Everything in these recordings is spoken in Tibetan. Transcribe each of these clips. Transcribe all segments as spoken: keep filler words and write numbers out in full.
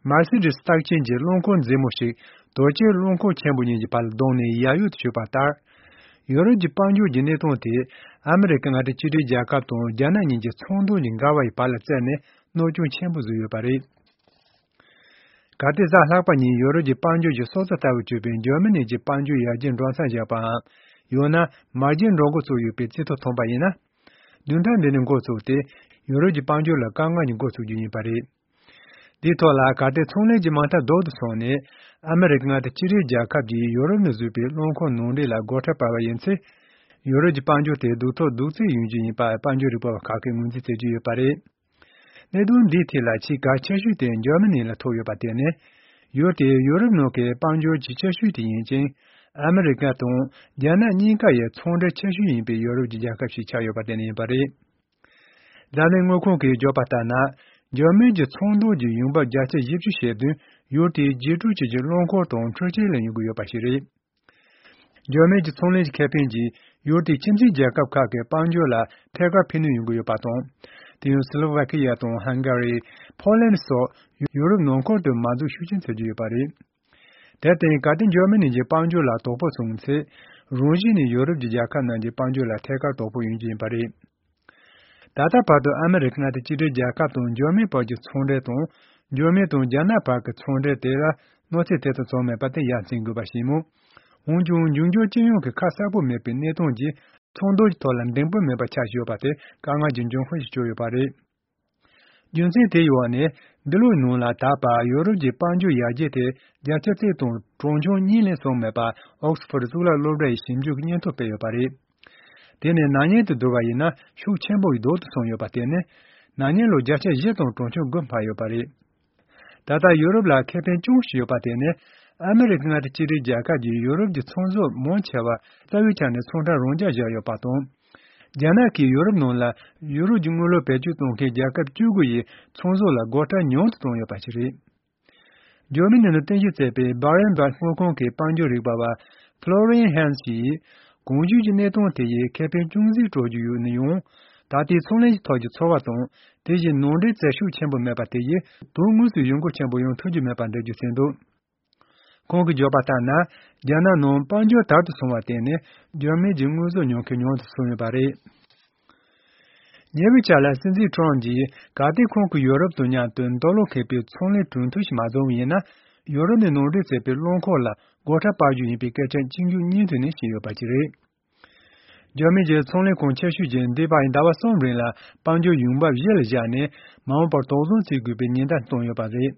མར་སི་ཌི་སི་རྟགས་ཅན་གྱི་རླངས་འཁོར་མཛེས་མོ་ཞིག་དོལ་རྒྱལ་རླངས་འཁོར་ཆེན་པོ་གཉིས་ཀྱི་བར་ལ་བརྡུངས་ནས་ཡར་གཡུག་ཏུ་ཞུགས་པ་ལྟར། ཡུ་རོབ་ཀྱི་དཔལ་འབྱོར་གྱི་གནས་སྟངས་དེས་ཨ་མི་རི་ཀ་མངའ་སྡེ་གཅིག་སྒྲིལ་རྒྱལ་ཁབ་དང་རྒྱ་ནག་གཉིས་ཀྱི་ཚོང་དོན་གྱི་འགལ་བ་ཡི་བར་ལ་བཙུགས་ནས་གནོད་སྐྱོན་ཆེན་པོ་བཟོས་ཡོད་པ་རེད། གལ་ཏེ་གཟའ་ལྷག་པ་ཉིན་ཡུ་རོབ་ཀྱི་དཔལ་འབྱོར་གྱི་སྲོག་རྩ་ལྟ་བུར་གྱུར་པའི་འཇར་མ་ནི་གྱི་དཔལ་འབྱོར་ཡར་རྒྱས་འགྲོ་མཚམས་བཞག་པའམ། ཡང་ན་མར་རྒྱས་འགྲོ་འགོ་བཙུགས་ཡོད་པའི་རྩིས་ཐོ་ཐོན་པ་ཡིན་ན། བདུན་ཕྲག་འདི་ནས་འགོ་བཙུགས་ཏེ་ཡུ་རོབ་ཀྱི་དཔལ་འབྱོར་ལ་དཀའ་ངལ་གྱི་འགོ་ཚུགས་རྒྱུ་ཡིན་པ་རེད། དེའི་ཐོག་ལ་གལ་ཏེ་ཚོང་ལས་ཀྱི་མ་མཐའ་རྡོག་ཏུ་སོང་ནས་ཨ་མི་རི་ཀ་མངའ་སྡེ་གཅིག་སྒྲིལ་རྒྱལ་ཁབ་ཀྱིས་ཡུ་རོབ་ནས་བཟོས་པའི་རླངས་འཁོར་ནང་འདྲེན་ལ་སྒོ་ཁྲལ་སྤར་བ་ཡིན་ཚེ། ཡུ་རོབ་ཀྱི་དཔལ་འབྱོར་དེ་སྡུག་ཐོག་སྡུག་བརྩེགས་ཡོང་རྒྱུ་ཡིན་པ་དཔལ་འབྱོར་རིག་པ་བ་ཁག་གིས་ངོས་འཛིན་བྱེད་ཀྱི་ཡོད་པ་རེད། གནད་དོན་འདིའི་ཐད་ལ་ཆེས་གལ་ཆེ་ཤོས་དེ་འཇར་མ་ནི་ལ་ཐུག་ཡོད་པ་དེ་ནི། ཡུལ་དེ་ཡུ་རོབ་ནང་གི་དཔལ་འབྱོར་གྱི་ཆེ་ཤོས་དེ་ཡིན་ཅིང་། ཨ་མི་རི་ཀ་དང་རྒྱ་ནག་གཉིས་ཀ་ཡི་ཚོང་འབྲེལ་ཆེ་ཤོས་ཡིན་པའི་ཡུ་རོབ་ཀྱི་རྒྱལ་ཁབ་ཞིག་ཆགས་ཡོད་པ་དེ་ནི་ཡིན་པ་རེད། འཛམ་གླིང་དངུལ་ཁང་གིས་བརྗོད་པ་ལྟར་ན། འཇར་མན་གྱི་ཚོང་དོན་གྱི་ཡོང་འབབ་བརྒྱ་ཆ་བཞི་བཅུ་ཞེ་བདུན་ཡུལ་དེའི་རྒྱས་སྤྲོས་ཅན་གྱི་རླངས་འཁོར་དང་འཕྲུལ་ཆས་ལས་ཡོང་གི་ཡོད་པ་ཞིག་རེད། འཇར་མན་གྱི་ཚོང་ལས་ཀྱི་ཁེ་ཕན་གྱིས་ཡུལ་དེའི་ཁྱིམ་མཚེས་རྒྱལ་ཁབ་ཁག་གི་དཔལ་འབྱོར་ལ་ཐད་ཀར་ཕན་ནུས་ཡོང་གི་ཡོད་པ་དང་། དེ་ཡང་སི་ལོ་ཝ་ཁི་ཡ་དང་ཧང་ག་རི། ཕོ་ལན་སོགས་ཡུ་རོབ་ནང་ཁུལ་དུ་མ་འཛུགས་ཤུགས་ཆེན་བྱེད་ཀྱི་ཡོད་པ་རེད། དེར་བརྟེན་གལ་ཏེ་འཇར་མ་ནི་གྱི་དཔལ་འབྱོར་ལ་དོ་ཕོག་སོང་ཚེ། རང་བཞིན་ནས་ཡུ་རོབ་ཀྱི་རྒྱལ་ཁབ་རྣམས་ཀྱི་དཔལ་འབྱོར་ལ་ཐད་ཀར་དོ་ཕོག་ཡོང་རྒྱུ་ཡིན་པ་རེད། ད་ལྟ་བར་དུ་ཨ་མི་རི་ཀ་མངའ་སྡེ་གཅིག་སྒྲིལ་རྒྱལ་ཁབ་དང་འཇར་མན་བར་གྱི་ཚོང་འབྲེལ་དང་། འཇར་མན་དང་རྒྱ་ནག་བར་གྱི་ཚོང་འབྲེལ་དེ་ལ་གནོད་འཚེ་དེ་ཙམ་བྱུང་མེད་པ་དེ་ཡ་མཚན་དགོས་པ་ཞིག་མོད། འོན་ཀྱང་འབྱུང་འགྱུར་སྤྱི་ཡོངས་ཀྱི་ཁ་གསལ་པོ་མེད་པའི་གནས་སྟངས་ཀྱིས་ཚོང་དོན་གྱི་ཐོག་ལ་འདང་པོ་མེད་པ་ཆགས་ཡོད་པ་དེ་དཀའ་ངལ་གྱི་འབྱུང་ཁུངས་ཤིག་གྱུར་ཡོད་པ་རེད། རྒྱུ་མཚན་དེའི་འོག་ནས་འདི་ལོའི་ནང་ལ་ད་བར་ཡོ་རོབ་ཀྱི་དཔལ་འབྱོར་ཡར་རྒྱས་དེ་བརྒྱ་ཆ་གཅིག་དང་གྲངས་ཆུང་གཉིས་ལས་སོང་མེད་པ་ཨོག་སི་ཕོར་གཙུག་ལག་སློབ་གྲྭ་ཡི་ཞིབ་འཇུག་གི་སྙན་ཐོ་སྤེལ་ཡོད་པ་རེད། དེ་ནི་ན་ནིང་དང་བསྡུར་བ་ཡིན་ན་ཤུགས་ཆེན་པོ་ཡིས་ལྡོག་ཏུ་སོང་ཡོད་པ་དེ་ནི། ན་ནིང་ལོ་བརྒྱ་ཆ་བཞི་དང་གྲངས་ཆུང་དགུ་འཕར་ཡོད་པ་རེད། ད་ལྟ་ཡུ་རོབ་ལ་ཁེ་ཕན་ཅུང་ཞིག་ཡོད་པ་དེ་ནི། ཨ་མི་རི་ཀ་མངའ་སྡེ་གཅིག་སྒྲིལ་རྒྱལ་ཁབ་ཀྱིས་ཡུ་རོབ་ཀྱི་ཚོང་ཟོག་མང་ཆེ་བ་རྩ་བའི་ཆ་ནས་ཚོང་ཁྲལ་རང་འཇགས་བཞག་ཡོད་པ་དང་། རྒྱ་ནག་གིས་ཡུ་རོབ་ནང་ལ་ཡུ་རོ་ཀྱི་དངུལ་ལོར་བེད་སྤྱོད་གཏོང་མཁན་རྒྱལ་ཁབ་བཅུ་དགུ་ཡི་ཚོང་ཟོག་ལ་སྒོ་ཁྲལ་ཉུང་དུ་བཏང་ཡོད་པ་ཞིག་རེད། འཇར་མ་ནི་ནང་རྟེན་གཞི་བྱས་པའི་Berenberg་དངུལ་ཁང་གི་དཔལ་འབྱོར་རིག་པ་བ་Florian Hens་ཡིས། གོང་ཞུས་ཀྱི་གནས་སྟངས་དེ་ཡིས་ཁེ་ཕན་ཅུང་ཟད་སྤྲོད་རྒྱུ་ཡོད་ན་ཡང་། ད་ལྟའི་ཚོང་ལས་ཀྱི་ཐོག་གི་ཚོར་བ་དང་། དེ་བཞིན་ནང་འདྲེན་བྱེད་ཤུགས་ཆེན་པོ་མེད་པ་དེ་ཡིས་དོན་དངོས་སུ་གཞུང་སྒོ་ཆེན་པོ་ཡོང་ཐུབ་རྒྱུ་མེད་པ་འགྲེལ་བརྗོད་བྱས་འདུག་ཁོང་གིས་བརྗོད་པ་ལྟར་ན། རྒྱ་ནག་ནང་དཔལ་འབྱོར་དར་དུ་སོང་བར་བརྟེན་ནས་འཇར་མན་གྱི་དངོས་ཟོག་ཉོ་མཁན་ཉུང་དུ་སོང་ཡོད་པ་རེད། ཉེ་བའི་ཆར་ལ་སྲིད་འཛིན་ཁྲོམ་གྱིས་གལ་ཏེ་ཁོང་གིས་ཡོ་རོབ་དང་མཉམ་དུ་འདོད་བློ་ཁེངས་པའི་ཚོང་ལས་གྲོས་མཐུན་ཞིག་མ་བཟོ་བ་ཡིན་ན། ཡོ་རོབ་ནས་ནང་འདྲེན་བྱས་པའི་རླངས་འཁོར་ལ་སྒོ་ཁྲལ་སྤར་རྒྱུ་ཡིན་པའི་སྐད་ཆ་གཅིག་མཇུག་གཉིས་མཐུད་ནས་བཤད་ཡོད་པ་ཞིག་རེད། འཇར་མན་གྱི་ཚོང་ལས་ཁང་ཆེ་ཤོས་ཀྱིས་འདས་པའི་ཟླ་བ་གསུམ་རིང་ལ་དཔལ་འབྱོར་ཡོང་འབབ་གཞི་ལ་བཞག་ནས་མ་འོངས་པར་དོགས་ཟོན་བྱེད་དགོས་པའི་ཉེན་བརྡ་བཏང་ཡོད་པ་རེད།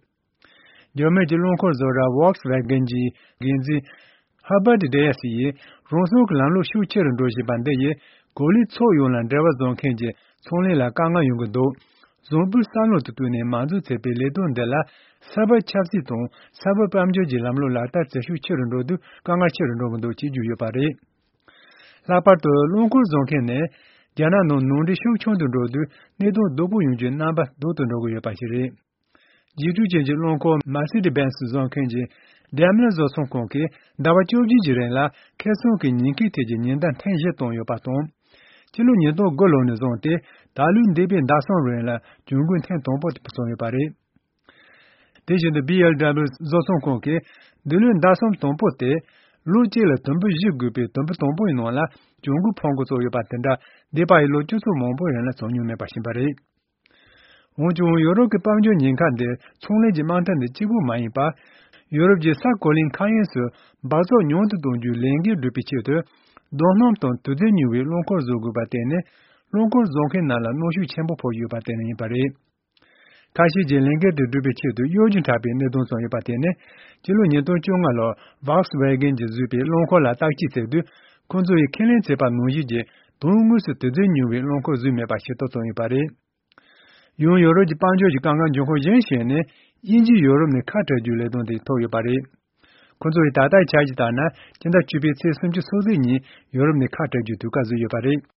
འཇར་མན་གྱི་རླངས་འཁོར་བཟོ་གྲྭ་Volkswagen་གྱི་འགན་འཛིན་Herbert Diess་ཡིས་རང་སྲུང་གི་ལམ་ལུགས་ཤུགས་ཆེ་རུ་འགྲོ་བཞིན་པ་འདི་ཡིས་གོ་ལའི་ཕྱོགས་ཡོངས་ལ་འབྲེལ་བ་བཟོ་མཁན་གྱི་ཚོང་ལས་ལ་དཀའ་ངལ་ཡོང་གི་འདུག་བཟང་པོའི་བསམ་བློ་དང་བསྟུན་ནས་མ་འཛུགས་བྱས་པའི་ལས་དོན་འདི་ལ་ས་བབ་ཆབ་སྲིད་དང་ས་བབ་དཔལ་འབྱོར་གྱི་ལམ་ལུགས་ལག་བསྟར་བྱེད་ཤུགས་ཆེ་རུ་འགྲོ་དུས་དཀའ་ངལ་ཆེ་རུ་འགྲོ་གི་འདུག་ཅེས་བརྗོད་ཡོད་པ་རེད། ལྷག་པར་དུ་རླངས་འཁོར་བཟོ་མཁན་ནི་རྒྱ་ནག་ནང་ནང་འདྲེན་ཤུགས་ཆུང་དུ་འགྲོ་དུས་གནད་དོན་སྡུག་པོ་ཡོང་རྒྱུའི་རྣམ་པ་སྡུག་ཏུ་འགྲོ་གི་ཡོད་པ་ཞིག་རེད། རྒྱས་སྤྲོས་ཅན་གྱི་རླངས་འཁོར་Mercedes-Benz་བཟོ་མཁན་གྱི་Daimler་བཟོ་ཚོང་ཁང་གིས་ཟླ་བ་བཅོ་བརྒྱད་ཀྱི་རིང་ལ་ཁེ་བཟང་གི་ཉེན་ཁའི་ཐད་ཀྱི་ཉེན་བརྡ་ཐེངས་བཞི་བཏང་ཡོད་པ་དང་། སྤྱི་ལོ་ཉིས་སྟོང་དགུ་ལོ་ནས་བཟུང་སྟེ་ད་ལོའི་འདས་པའི་ཟླ་གསུམ་རིང་ལ་གྱོང་གུན་ཐེངས་དང་པོ་དེ་བཟོས་ཡོད་པ་རེད། དེ་བཞིན་དུ་B M W་བཟོ་ཚོང་ཁང་གིས་འདི་ལོའི་ཟླ་གསུམ་དང་པོ་དེ་ལོ་གཅིག་ལ་དུམ་བུ་བཞི་བགོས་པའི་དུམ་བུ་དང་པོའི་ནང་ལ་གྱོང་གུན་ཕོག་འགོ་བཙུགས་ཡོད་པ་དེ་འདྲ་འདས་པའི་ལོ་བཅུ་ཚོད་མང་པོའི་རིང་ལ་བྱུང་མྱོང་མེད་པ་ཞིག་རེད། འོན་ཀྱང་ཡོ་རོབ་ཀྱི་དཔལ་འབྱོར་ཉེན་ཁ་འདི་ཚོང་ལས་ཀྱི་དམག་འཐབ་འདི་གཅིག་པུ་མ་ཡིན་པར། ཡོ་རོབ་ཀྱི་ས་གོ་ལའི་མཁའ་དབྱིངས་སུ་འབག་བཙོག་ཉུང་དུ་གཏོང་རྒྱུའི་ལས་འགན་སྒྲུབ་པའི་ཆེད་དུ། རྡོ་སྣུམ་དང་དུག་རྫས་ཉོ་བའི་རླངས་འཁོར་བཟོ་དགོས་པ་དེ་ནི་རླངས་འཁོར་བཟོ་མཁན་རྣམས་ལ་གནོན་ཤུགས་ཆེན་པོ་ཕོག་ཡོད་པ་དེ་ནི་ཡིན་པ་རེད། ཁ་ཤས་ཀྱིས་ལས་འགན་དེ་སྒྲུབ་པའི་ཆེད་དུ་གཡོ་སྒྱུ་འཁྲབ་པའི་གནད་དོན་བྱུང་ཡོད་པ་དེ་ནི། སྤྱི་ལོ་ཉིས་སྟོང་བཅོ་ལྔ་ལོར་Volkswagen་གྱིས་བཟོས་པའི་རླངས་འཁོར་ལ་བརྟག་དཔྱད་བྱས་དུས། ཁོང་ཚོ་ཡིས་ཁས་ལེན་བྱས་པ་ནང་བཞིན་གྱི་དོན་དངོས་སུ་དུག་རྫས་ཉོ་བའི་རླངས་འཁོར་བཟོས་མེད་པ་ཤེས་རྟོགས་བྱུང་ཡོད་པ་རེད། ཡང་ཡོ་རོབ་ཀྱི་དཔལ་འབྱོར་གྱི་དཀའ་ངལ་འབྱུང་ཁུངས་གཞན་ཞིག་ནི། དབྱིན་ཇིས་ཡོ་རོབ་ནས་ཁ་བྲལ་རྒྱུའི་ལས་དོན་དེ་ཐུག་ཡོད་པ་རེད། ཁོང་ཚོ་ཡི་ད་ལྟའི་འཆར་གཞི་ལྟར་ན། སྤྱི་ཟླ་བཅུ་པའི་ཚེས་སུམ་ཅུ་སོ་གཅིག་ཉིན་ཡོ་རོབ་ནས་ཁ་བྲལ་རྒྱུའི་དུས་བཀག་བཟོས་ཡོད་པ་རེད།